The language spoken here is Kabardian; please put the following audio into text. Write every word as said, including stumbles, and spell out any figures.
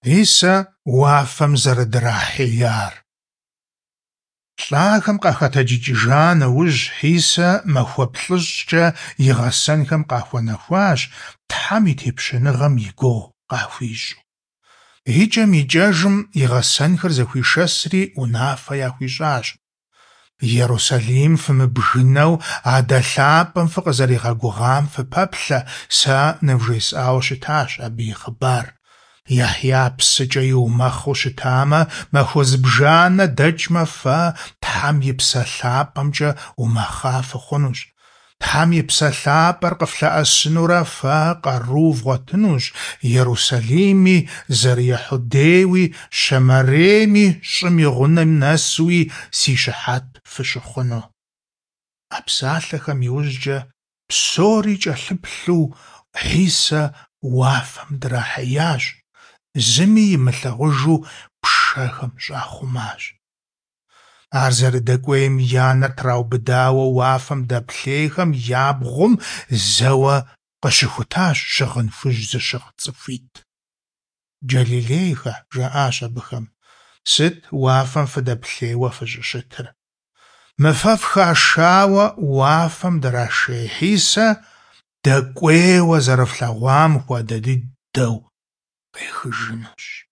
Хьисэ уафэм зэрыдрахьеяр. ЛӀахэм къахэтэджыкӀыжа нэужь, Хьисэ махуэ плӀыщӀкӀэ и гъэсэнхэм къахуэнэхуащ, Тхьэм и Тепщэныгъэм и гугъу къахуищӀу. ИкӀэм-икӀэжым и гъэсэнхэр зэхуишэсри унафэ яхуищӀащ: Ерусалим фымыбгынэу, Адэ лъапӀэм фыкъызэригъэгугъам фыпэплъэ, сэ нывжесӀауэ щытащ абы и хъыбар. Яхья псыкӀэ иумэхъыу щытамэ, махуэ зыбжанэ дэкӀмэ, фэ Тхьэм и Псэ ЛъапӀэмкӀэ умэхъа фыхъунущ. Тхьэм и Псэ ЛъапӀэр къыфлъэӀэсынурэ фэ къару вгъуэтынущ, Ерусалими, зэры-Ехьудейуи, Щэмэрейми, щӀым и гъунэм нэсуи си щыхьэт фыщыхъуну. А псалъэхэм иужькӀэ псори кӀэлъыплъу Хьисэ уафэм драхьеящ, зыми имылъагъужу пшэхэм щӀахъумащ. Ар зэрыдэкӀуейм я нэр траубыдауэ уафэм дэплъейхэм я бгъум зэуэ къыщыхутащ щыгъын хужь зыщыгъ цӀыхуитӀ. Джалилейхэ, жаӀащ абыхэм, сыт уафэм фыдэплъейуэ фыщӀыщытыр? Мы фэ фхашауэ уафэм драшей Хьисэ дэкӀуейуэ зэрыфлъэгъуам хуэдэ дыдэу къехыжынущ.